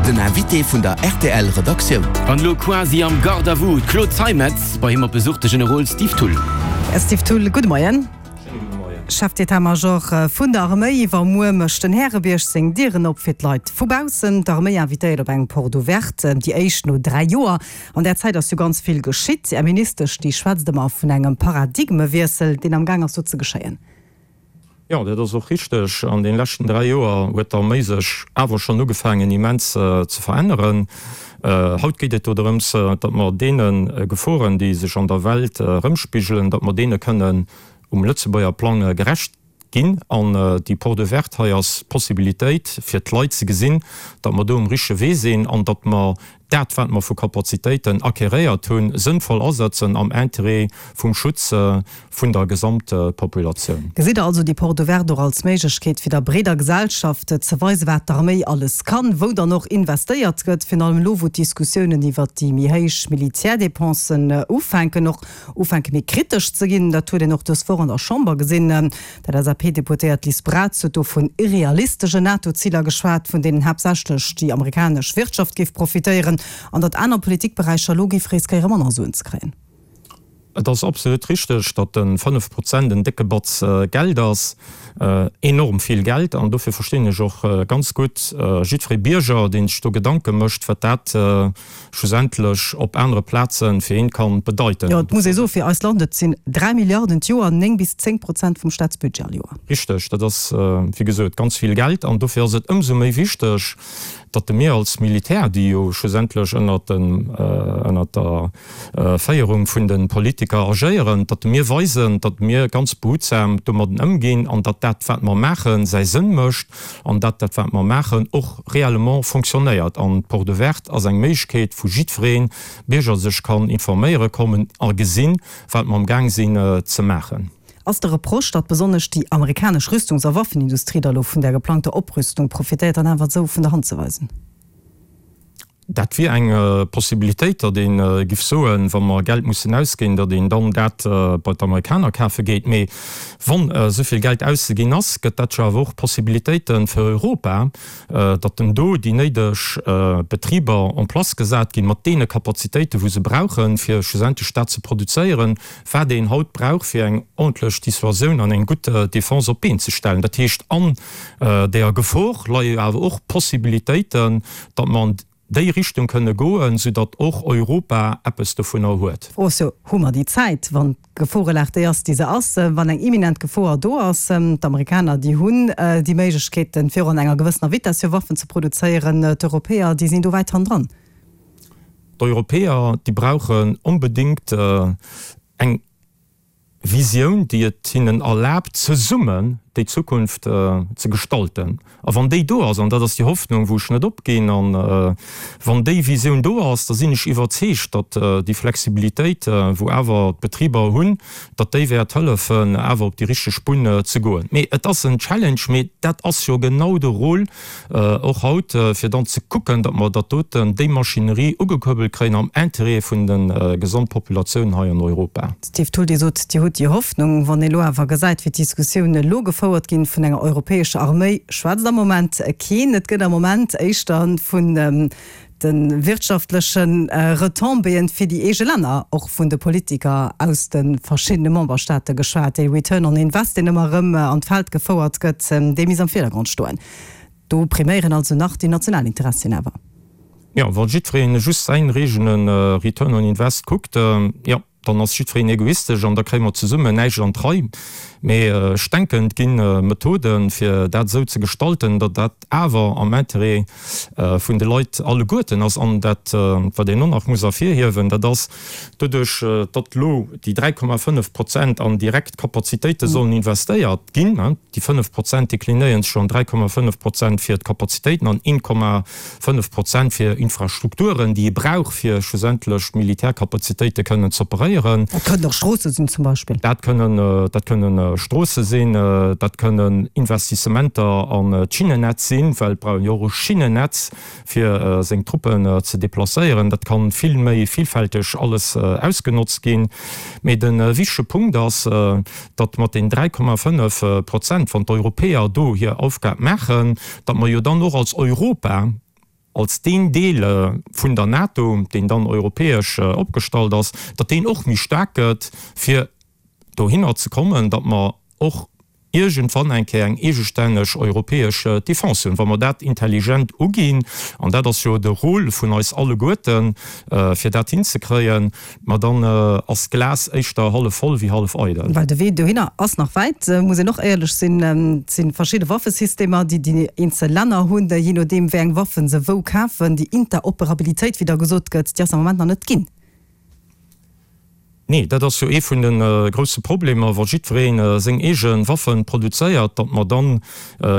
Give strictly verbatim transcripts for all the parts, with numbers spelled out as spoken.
Den Invité vun der R T L Redaktioun. An elo quasi am Garde à vous, d'Claude Zeimetz, bei him op Besuch de Generol Steve Thull. Här Steve Thull, gudde Moien. Chef d'état-major vun der Arméi, iwwermuer mécht den Härebierg seng Dieren op fir d'Leit vu baussen. D'Arméi invitéiert op eng Porte ouverte, déi éischt no dräi Joer. An där Zäit ass jo ganz vill geschitt. Är Ministesch, déi schwätzt ëmmer vun engem Paradigmewiessel, deen am Gaang ass do ze geschéien. Jo, dat ass och richteg. An deene leschten dräi Joer huet d'Arméi sech awer schonn ugefaangen immens ze veränneren. Haut geet et do drëms, datt mer deene Geforen, déi sech an der Welt erëmspigelen, datt mer deene kënnen um Lëtzebuerger Plang gerecht ginn. An déi Porte ouverte hei ass d'Possibilitéit fir d'Leit ze gesinn, datt mer do um richtege Wee sinn an datt mer dat, wat mer vu Kapazitéiten acquéréiert hunn, sënnvoll asetzen am Interêt vum Schutz vun der Gesamtpopulatioun. Gesitt Der also déi Porte ouverte och als Méiglechkeet, fir der breeder Gesellschaft ze weisen, wat d'Arméi alles kann, wou dann och investéiert gëtt, virun allem elo, wou d'Diskussiounen iwwert déi méi héich Militärdépensen ufänken, och ufänke méi kritesch ze ginn? Dat huet een och dës Woch an der Chamber gesinn. D'L S A P-Deputéiert Liz Braz huet do vun irrealistesche NATO-Ziler geschwat, vun deenen haaptsächlech déi amerikanesch Wirtschaft géif profitéieren, an datt aner Politikberäicher elo géif riskéiere manner Suen ze kréien. Et ass absolut richteg, datt de fënnef Prozent en décke Batz Geld ass, enorm vill Geld. An dofir verstinn ech och ganz gutt jiddweree Bierger, dee sech do Gedanke mécht, wat dat schlussendlech op anere Plaze fir een ka bedeiten. Jo, et muss ee soen, fir eist Land, et sinn dräi Milliarden d'Joer, néng bis zéng Prozent vum Staatsbudget all Joer. Richteg, dat ass, wéi gesot, ganz vill Geld. An dofir ass et ëmsou méi wichteg, datt de mir als Militär, déi jo schlussendlech ënnert dem, ënnert der Féierung vun de Politiker agéieren, datt mir weisen, datt mir ganz behutsam domadden ëmginn an datt dat, wat mer maachen, säi Sënn mécht an datt dat, wat mer maachen, och réellement fonctionnéiert. An d'Porte ouverte ass eng Méiglechkeet, wou jiddweree Bierger sech kann informéiere kommen a gesinn, wat mer amgaang sinn ze maachen. Ass de Reproche, datt besonnesch déi amerikanesch Rüstungs a Waffenindustrie da lo vun där geplangter Oprüstung profitéiert, dann awer esou vun der Hand ze weisen? Dat wier eng Possibilitéit, datt ee giff soen, wa mer Geld mussen ausginn, datt een dann dat bei d'Amerikaner kafe geet. Mee wann esou vill Geld auszeginn ass, gëtt dat jo awer och Possibilitéite fir Europa, datt en do déi néideg Betriber en place gesat ginn, mat deene Kapazitéiten, wou se brauchen, fir schlussendlech dat ze produzéieren, wat een haut brauch, fir eng ordentlech Dissuasioun an eng gutt Defense op d'Been ze stellen. Dat heescht, an deeër Gefor leie jo awer och Possibilitéiten, datt mer an déi Richtung kënne goen, soudatt och Europa eppes dovunner huet. Fro ass jo, Hu mer déi Zäit, wann d'Geforelag déi ass, déi se ass, wann eng imminent Gefor do ass? D'Amerikaner, déi hunn déi Méiglechkeeten, fir an enger gewëssener Vitess hir Waffen ze produzéieren. D'Europäer, déi sinn do wäit hannendran. D'Europäer, déi brauchen onbedéngt eng Visioun, déi et hinnen erlaabt, zesummen déi Zukunft ze gestalten. A wann déi do ass, an dat ass déi Hoffnung, wou ech net opginn, a wann déi Visioun do ass, da sinn ech iwwerzeegt, datt déi Flexibilitéit, wou awer d'Betriber hunn, datt déi wäert hëllefen, awer op déi richteg Bunn ze goen. Mee et ass en Challenge, mee dat ass jo genau de Rôle och haut, fir dann ze kucken, datt mer dat doten, déi Maschinerie ugekuerbelt kréien am Intérêt vun de Gesamtpopulatioun hei an Europa. Steve Thull, Dir sot, Dir hutt déi Hoffnung. Wann ee elo awer gesäit, wéi d'Diskussiounen elo gefouert ginn, vun enger europäescher Arméi schwätzt am Moment keen. Et gëtt am Moment éischter vun de wirtschaftleche Retombéeën fir déi eege Länner, och vun de Politiker aus de verschiddene Memberstaate geschwat. Dee Return on Invest, deen ëmmer erëm an d'Feld gefouert gëtt, dee misst am Virdergrond stoen. Do priméieren also nach déi national Interessien awer. Jo, wa jiddweree just säin eegene Return on Invest kuckt, jo, dann ass jiddwereen egoistesch an da kréie mer zesummen näischt an d'Rei. Mee ech denken, et gi Methoden, fir dat esou ze gestalten, datt dat awer am Interêt vun de Leit alleguerten ass. An dat, wat een och nach muss ervirhiewen, dat ass, doduerch datt elo déi dräi Komma fënnef Prozent an direkt Kapazitéite sollen investéiert ginn, déi fënnef Prozent deklinéieren sech an dräi Komma fënnef Prozent fir d'Kapazitéiten an een Komma fënnef Prozent fir Infrastrukturen, déi ee brauch, fir schlussendlech d'Militärkapazitéite kënnen z'operéieren. Dat kënnen och Stroosse sinn zum Beispill. Dat kënnen, dat kënnen Stroosse sinn, dat kënnen Investissementer an d'Schinnennetz sinn, well et brauch een jo och e Schinnennetz, fir seng Truppen ze deplacéieren. Dat ka vill méi villfälteg alles ausgenotzt ginn. Mee de wichtege Punkt ass, datt mat den dräi Komma fënnef Prozent, wann d'Europäer do hir Aufgab maachen, datt mer jo dann och als Europa als deen Deel vun der NATO, deen dann europäesch opgestallt ass, datt deen och méi staark gëtt, fir dohinner ze kommen, datt mer och iergendwann eng Kéier eng eegestänneg europäesch Defense hunn, wa mer dat intelligent uginn, an dat ass jo de Rôle vun eis alleguerten, fir dat hinzekréien, ma dann ass d'Glas éischter hallef voll wéi hallef eidel. Well de Wee dohinner ass nach wäit, muss een och éierlech sinn. Et si verschidde Waffesystemer, déi déi eenzel Länner hunn, jee nodeem wéi eng Waffen se wou kafen. Déi Interoperabilitéit, wéi da gesot gëtt, déi ass am Moment nach net ginn. Nee, dat ass jo ee vun de grousse Problemer, wa jiddweree seng eege Waffe produzéiert, datt mer dann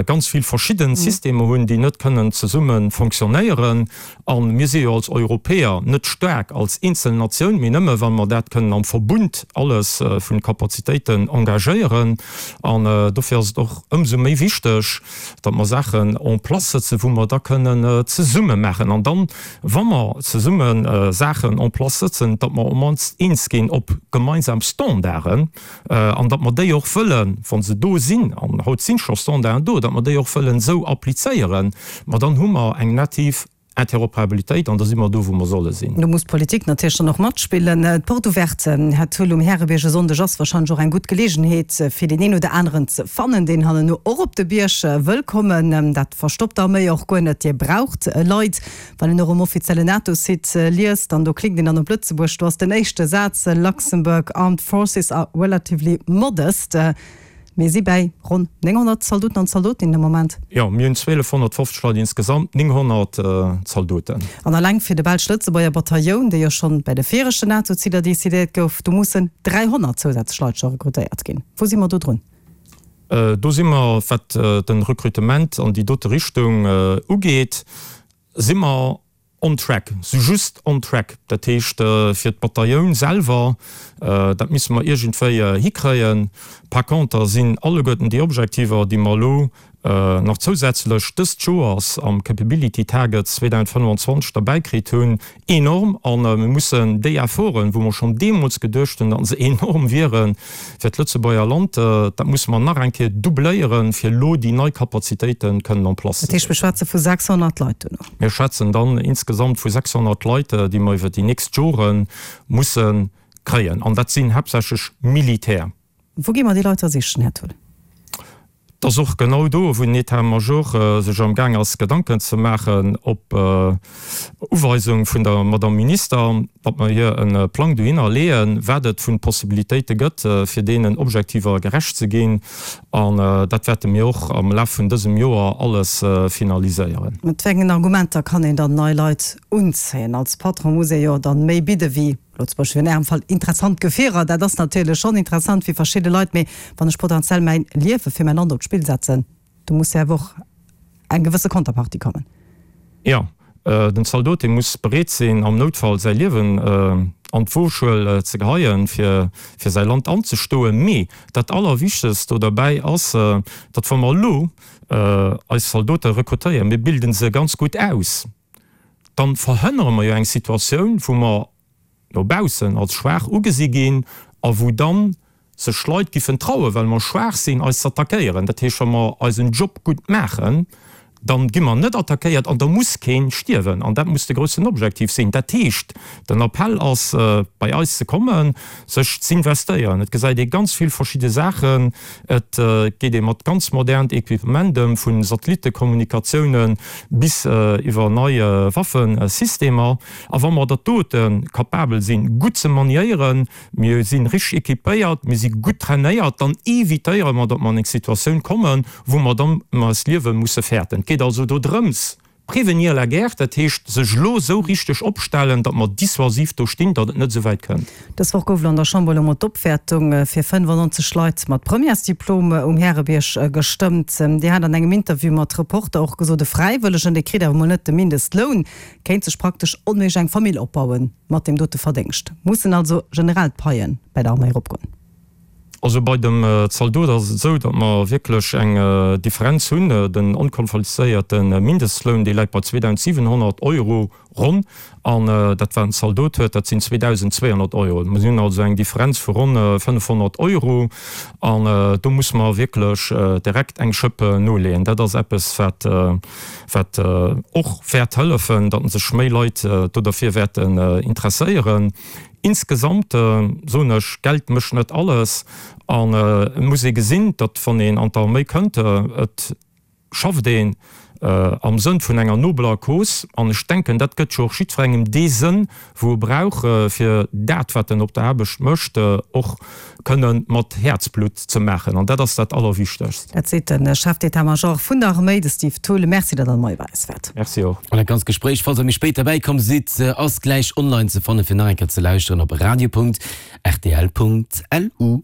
ganz vill verschidde Systemer hunn, déi net kënnen zesumme fonctionnéieren. A mir si jo als Europäer net staark als eenzel Natioun, mee nëmme wa mer dat kënnen am Verbund alles vun Kapazitéiten engagéieren. An dofir ass et och ëmsou méi wichteg, datt mer Saachen en place sëtzen, wou mer da kënnen zesumme maachen. An dann, wa mer zesumme Saachen en place sëtzen, datt mer op d'mannst eens ginn op gemeinsam Standarden an datt mer déi och wëllen, wa se do sinn, an haut si scho Standarden do, datt mer déi och wëllen esou applizéieren, ma dann hu mer eng nativ Interoperabilitéit an da si mer do, wou mer solle sinn. Do muss d'Politik natierlech dann och matspillen. D'Porte ouverte, Här Thill, um Härebierg e Sonndeg ass warscheinlech och eng gutt Geleegenheet, fir deen een oder aneren ze fannen, deen hanneno och op de Bierg wëll kommen. Dat verstoppt d'Arméi och guer net. Dir braucht Leit. Wann een och um offiziellen NATO-Site liest, an do klickt een dann op Lëtzebuerg, do ass den éischte Saz, Luxembourg Armed Forces are relatively modest. Mir si bäi ronn nénghonnert Zaldoten an Zaldotinnen de Moment. Jo, mir hunn zwielefhonnertfofzeg Leit insgesamt, nénghonnert Zaldoten. An alleng fir de belsch-lëtzebuerger Batailloun, dee jo schonn bäi de viregten NATO-Ziler decidéiert gouf, do mussen dräihonnert zousätzlech Leit scho rekrutéiert ginn. Wou si mer do drun? Do si mer, wat de Rekrutement an déi dote Richtung ugeet, si mer on track, sou just on track. Dat heescht, fir d'Batailloun selwer, dat misse mer iergendwéi hikréien. Par conter sinn alleguerten déi Objektiver, déi mer elo nach zousätzlech dëst Joers am Capability Target zweedausendfënnwanzwanzeg derbäi kritt hunn, enorm. A mir mussen déi Efforten, wou mer schonn deemools geduecht hunn, datt se enorm wieren fir d'Lëtzebuerger Land, dat musse mer nach eng Kéier doubléieren, fir elo déi nei Kapazitéite kënnen en place ze Dat heescht, mir schwätze vu sechshonnert Leit duerno? Mir schwätzen dann insgesamt vu sechshonnert Leit, déi mer iwwer déi nächst Jore musse kréien. An dat sinn haaptsächlech Militär. Wou gi mer déi Leit da sichen, Här Thull? Et ass och genau do, wou den État-major sech am Gaang ass, Gedanken ze maachen, op Uweisung vun der Madame Minister, datt mer hir e Plang dohinner leeën, wat et vu Possibilitéite gëtt, fir deenen Objektiver gerecht ze ginn. An dat wäerte mir och am Laf vun dësem Joer alles finaliséieren. Mat wéi engen Argumenter kann een dann nei Leit unzéien? Als Patron muss ee jo dann méi bidde wéi elo zum Beispill an Ärem Fall interessant Gefierer. Dat ass natierlech schonn interessant fir verschidde Leit, mee wann ech potentiell mäin Liewe fir mäin Land op d'Spill setzen, do muss jo awer och eng gewësse Konterpartie kommen. Jo, den Zaldot, dee muss bereet sinn, am Noutfall säi Liewen an d'Woschuel ze geheien, fir fir säi Land anzestoen. Mee dat Allerwichtegst do derbäi ass, datt wa mer elo eis Zaldote rekrutéieren, mir bilden se ganz gutt aus, dann verhënnere mer jo eng Situatioun, wou mer no baussen als schwaach ugesi ginn a wou dann sech Leit giffen trauen, well mer schwaach sinn, eis z'attackéieren. Dat heescht, wa mer eisen Job gutt maachen, dann gi mer net attackéiert an da muss keen stierwen. An dat muss de groussen Objektiv sinn. Dat heescht, den Appell ass, bei eis ze kommen, sech z'investéieren. Et gesäit ee ganz vill verschidde Saachen. Et geet ee mat ganz modernt Equipement ëm, vu Satellittekommunikatiounen bis iwwer nei Waffesystemer. A wa mer dat dote capabel sinn, gutt ze maniéieren, mir si richteg equipéiert, mir si gutt trainéiert, dann evitéiere mer, datt mer an eng Situatioun kommen, wou mer dann ëm eist Liewe musse fäerten. Et geet also do drëms, prévenir la guerre, dat heescht sech elo esou richteg opstellen, datt mer dissuasiv do stinn, datt et net esou wäit kënnt. Dës Woch gouf elo an der Chamber elo mol d'Opwäertung fir fënnefannonzeg Leit mat Premièresdiplom um Härebierg gestëmmt. Dir hat an engem Interview mat Reporter och gesot, e Fräiwëllegen, dee kritt awer mol net de Mindestloun, kéint sech praktesch onméiglech eng Famill opbaue mat deem dote Verdéngscht. Mussen also generell d'Paie bäi der Arméi eropgoen? Also bei dem Zaldot ass et esou, datt mer wierklech eng Differenz hunn. Den onqualifizéierte Mindestloun, dee läit bei zweedausendsiwenhonnert Euro ronn, an dat wat en Zaldot huet, dat sinn zweedausendzweehonnert Euro. Mer hunn also eng Differenz vu ronn fënnefhonnert Euro an do musse mer wierklech direkt eng Schëpp noleeën. Dat ass eppes, wat wat och wäert hëllefen, datt sech méi Leit do derfir wäerten interesséieren. Insgesamt soen ech, Geld mécht net alles an et muss ee gesinn, datt wann een an d'Arméi kënnt, et schafft een am Sënn vun enger nobeler Cause an ech denken, dat gëtt jo och jiddwerengem dee Sënn, wou e brauch, fir dat, wat en op der Aarbecht mécht, och kënne mat Häerzblutt ze maachen. An dat ass dat Allerwichtegst. Dat seet de Chef d'état-major vun der Arméi, de Steve Thull. Merci, datt Der moie bei eis waart. Merci och. An dat ganzt Gespréich, falls Der méi spéit derbäi komm sidd, ass gläich online ze fannen, fir nach eng Kéier ze lauschteren op radio Punkt rtl Punkt lu.